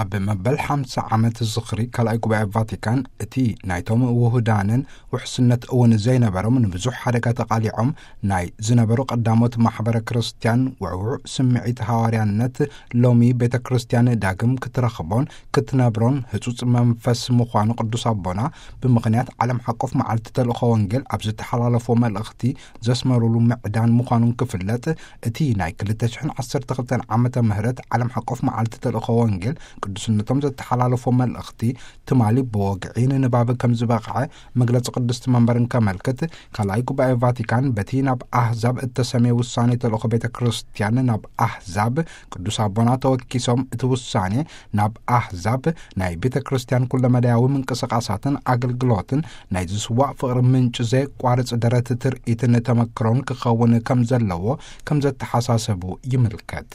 ኣብ መበል ሓምሳ ዓመት ዝኽሪ ካልኣይ ጉባኤ ቫቲካን፣ እቲ ናይቶም ውሁዳንን ውሕስነት እውን ዘይነበሮም፣ ንብዙሕ ሓደጋ ተቓሊዖም ናይ ዝነበሩ ቀዳሞት ማሕበረ ክርስቲያን ውዕዉዕ ስምዒት ሃዋርያነት፣ ሎሚ ቤተ ክርስቲያን ዳግም ክትረኽቦን ክትነብሮን ህጹጽ መንፈስ ምዃኑ ቅዱስ ኣቦና ብምኽንያት ዓለም ሓቆፍ መዓልቲ ተልእኾ ወንጌል ኣብ ዝተሓላለፎ መልእኽቲ ዘስመሩሉ ምዕዳን ምዃኑን ክፍለጥ፣ እቲ ናይ ክልተ ሽሕን ዓሰርተ ክልተን ዓመተ ምህረት ዓለም ሓቆፍ መዓልቲ ተልእኾ ወንጌል ቅዱስነቶም ዘተሓላለፎ መልእኽቲ ትማሊ ብወግዒ ንንባብ ከም ዝበቕዐ መግለጺ ቅድስቲ መንበርን ከመልክት፣ ካልኣይ ጉባኤ ቫቲካን በቲ ናብ ኣህዛብ እተሰምየ ውሳኔ ተልእኾ ቤተ ክርስቲያን ናብ ኣህዛብ ቅዱስ ኣቦና ተወኪሶም፣ እቲ ውሳኔ ናብ ኣህዛብ ናይ ቤተ ክርስቲያን ኩለመዳያዊ ምንቅስቓሳትን ኣገልግሎትን ናይ ዝስዋእ ፍቕሪ ምንጪ ዘየቋርጽ ደረት ትርኢትን ተመክሮን ክኸውን ከም ዘለዎ ከም ዘተሓሳሰቡ ይምልከት።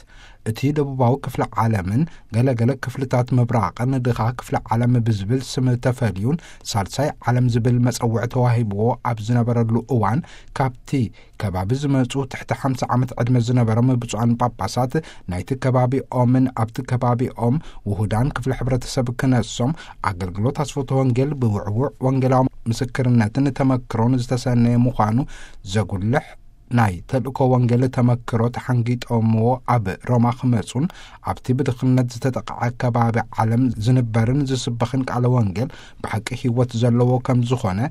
እቲ ደቡባዊ ክፍለ ዓለምን ገለገለ ክፍልታት ምብራቕን ድኻ ክፍለ ዓለም ብዝብል ስም ተፈልዩን ሳልሳይ ዓለም ዝብል መጸውዒ ተዋሂብዎ ኣብ ዝነበረሉ እዋን፣ ካብቲ ከባቢ ዝመጹ ትሕቲ ሓምሳ ዓመት ዕድመ ዝነበሮም ብፁዓን ጳጳሳት ናይቲ ከባቢኦምን ኣብቲ ከባቢኦም ውሁዳን ክፍሊ ሕብረተሰብ ክነሶም ኣገልግሎት ኣስፎተ ወንጌል ብውዕዉዕ ወንጌላዊ ምስክርነትን ተመክሮን ዝተሰነየ ምዃኑ ዘጉልሕ ናይ ተልእኮ ወንጌል ተመክሮ ተሓንጊጦምዎ ኣብ ሮማ ክመጹን ኣብቲ ብድኽነት ዝተጠቕዐ ከባቢ ዓለም ዝንበርን ዝስበኽን ቃለ ወንጌል ብሓቂ ህይወት ዘለዎ ከም ዝኾነ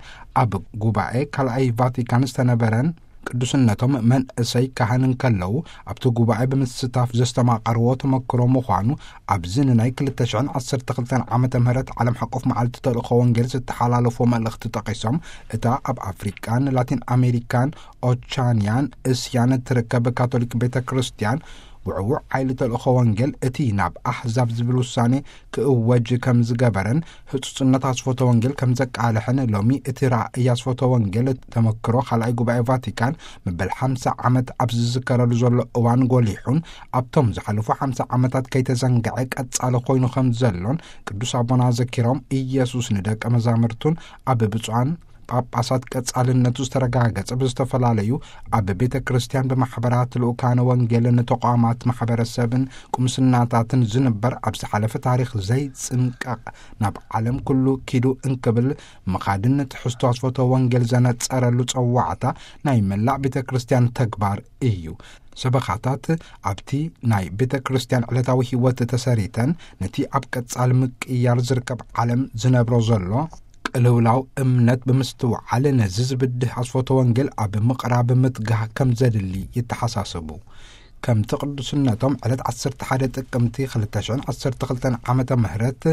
ኣብ ጉባኤ ካልኣይ ቫቲካን ዝተነበረን ቅዱስነቶም መንእሰይ ካህን እንከለዉ ኣብቲ ጉባኤ ብምስታፍ ዘስተማቐርዎ ተመክሮ ምዃኑ ኣብዚ ንናይ ክልተ ሽሕን ዓሰርተ ክልተን ዓመተ ምህረት ዓለም ሓቆፍ መዓልቲ ተልእኮ ወንጌል ዝተሓላለፎ መልእኽቲ ጠቒሶም፣ እታ ኣብ ኣፍሪቃን ላቲን ኣሜሪካን ኦቻንያን እስያን እትርከብ ካቶሊክ ቤተ ክርስቲያን ውዕዉዕ ሓይሊ ተልእኮ ወንጌል እቲ ናብ ኣሕዛብ ዝብል ውሳኔ ክእወጅ ከም ዝገበረን ህጹጽነት ኣስፎተ ወንጌል ከም ዘቃልሕን ሎሚ እቲ ራእይ ኣስፎተ ወንጌል ተመክሮ ካልኣይ ጉባኤ ቫቲካን መበል ሓምሳ ዓመት ኣብ ዝዝከረሉ ዘሎ እዋን ጎሊሑን ኣብቶም ዝሓለፉ ሓምሳ ዓመታት ከይተዘንግዐ ቀጻሊ ኮይኑ ከም ዘሎን ቅዱስ ኣቦና ዘኪሮም፣ ኢየሱስ ንደቀ መዛሙርቱን ኣብ ብፁዓን ጳጳሳት ቀጻልነቱ ዝተረጋገጸ ብዝተፈላለዩ ኣብ ቤተ ክርስቲያን ብማሕበራት ልኡካነ ወንጌልን ተቋማት ማሕበረሰብን ቁምስናታትን ዝንበር ኣብ ዝሓለፈ ታሪኽ ዘይጽንቀቕ ናብ ዓለም ኩሉ ኪዱ እንክብል ምኻድን ትሕዝቶ ኣስፎተ ወንጌል ዘነጸረሉ ጸዋዕታ ናይ መላእ ቤተ ክርስቲያን ተግባር እዩ። ሰበኻታት ኣብቲ ናይ ቤተ ክርስቲያን ዕለታዊ ህይወት ተሰሪተን ነቲ ኣብ ቀጻሊ ምቅያር ዝርከብ ዓለም ዝነብሮ ዘሎ ቅልውላው እምነት ብምስትውዓል ነዚ ዝብድህ ኣስፎተ ወንጌል ኣብ ምቕራብ ምትጋህ ከም ዘድሊ ይተሓሳሰቡ። ከምቲ ቅዱስነቶም ዕለት ዓሰርተ ሓደ ጥቅምቲ ክልተ ሽሕን ዓሰርተ ክልተን ዓመተ ምህረት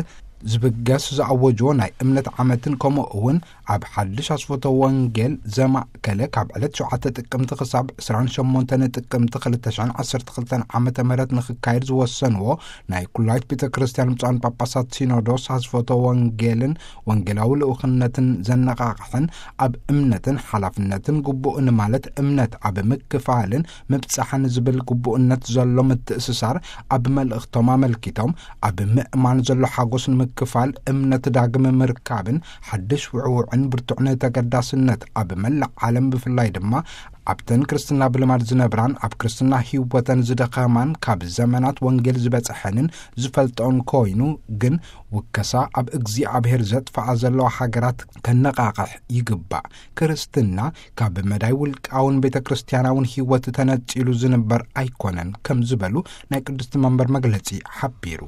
ዝብገስ ዝኣወጅዎ ናይ እምነት ዓመትን ከምኡ እውን ኣብ ሓድሽ ኣስፎተ ወንጌል ዘማእከለ ካብ ዕለት ሸውዓተ ጥቅምቲ ክሳብ ዕስራን ሸሞንተን ጥቅምቲ ክልተ ሽሕን ዓሰርተ ክልተን ዓመተ ምህረት ንክካየድ ዝወሰንዎ ናይ ኩላይት ቤተ ክርስቲያን ብፁዓን ጳጳሳት ሲኖዶስ ኣስፎተ ወንጌልን ወንጌላዊ ልኡኽነትን ዘነቓቕሕን ኣብ እምነትን ሓላፍነትን ግቡእን ማለት እምነት ኣብ ምክፋልን ምብጻሕን ዝብል ግቡእነት ዘሎ ምትእስሳር ኣብ መልእኽቶም ኣመልኪቶም፣ ኣብ ምእማን ዘሎ ሓጎስ ንምክፋል እምነት ዳግም ምርካብን ሓድሽ ውዕውዕን ብርቱዕን ተገዳስነት ኣብ መላእ ዓለም ብፍላይ ድማ ኣብተን ክርስትና ብልማድ ዝነብራን ኣብ ክርስትና ህይወተን ዝደኸማን ካብ ዘመናት ወንጌል ዝበጽሐንን ዝፈልጠኦን ኮይኑ ግን ውከሳ ኣብ እግዚኣብሔር ዘጥፍኣ ዘለዋ ሃገራት ከነቓቕሕ ይግባእ። ክርስትና ካብ መዳይ ውልቃውን ቤተ ክርስቲያናውን ህይወት ተነጺሉ ዝንበር ኣይኮነን ከም ዝበሉ ናይ ቅድስቲ መንበር መግለጺ ሓቢሩ።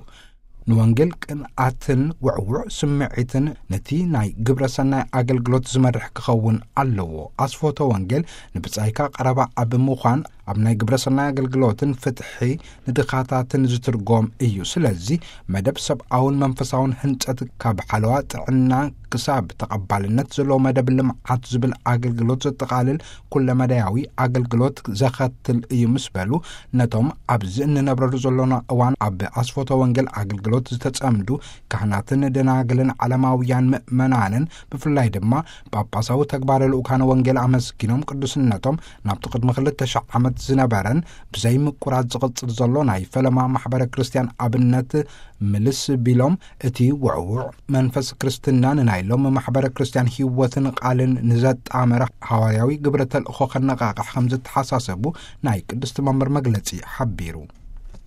ንወንጌል ቅንኣትን ውዕውዕ ስምዒትን ነቲ ናይ ግብረ ሰናይ ኣገልግሎት ዝመርሕ ክኸውን ኣለዎ። ኣስፎተ ወንጌል ንብጻይካ ቀረባ ኣብ ምዃን ኣብ ናይ ግብረ ሰናይ ኣገልግሎትን ፍትሒ ንድኻታትን ዝትርጎም እዩ። ስለዚ መደብ ሰብኣውን መንፈሳውን ህንጸት ካብ ሓለዋ ጥዕና ክሳብ ተቐባልነት ዘለዎ መደብ ልምዓት ዝብል ኣገልግሎት ዘጠቓልል ኩለመዳያዊ ኣገልግሎት ዘኸትል እዩ ምስ በሉ፣ ነቶም ኣብዚ እንነብረሉ ዘሎና እዋን ኣብ ኣስፎተ ወንጌል ኣገልግሎት ዝተጸምዱ ካህናትን ደናግልን ዓለማውያን ምእመናንን ብፍላይ ድማ ጳጳሳዊ ተግባረ ልኡካነ ወንጌል ኣመስጊኖም ቅዱስነቶም ናብቲ ቅድሚ ክልተ ሽሕ ዓመት ዝነበረን ብዘይ ምቁራጽ ዝቕጽል ዘሎ ናይ ፈለማ ማሕበረ ክርስቲያን ኣብነት ምልስ ቢሎም እቲ ውዕውዕ መንፈስ ክርስትና ንናይ ሎም ማሕበረ ክርስቲያን ህይወትን ቃልን ንዘጣመረ ሃዋርያዊ ግብረ ተልእኾ ከነቓቕሕ ከም ዝተሓሳሰቡ ናይ ቅድስቲ መንበር መግለጺ ሓቢሩ።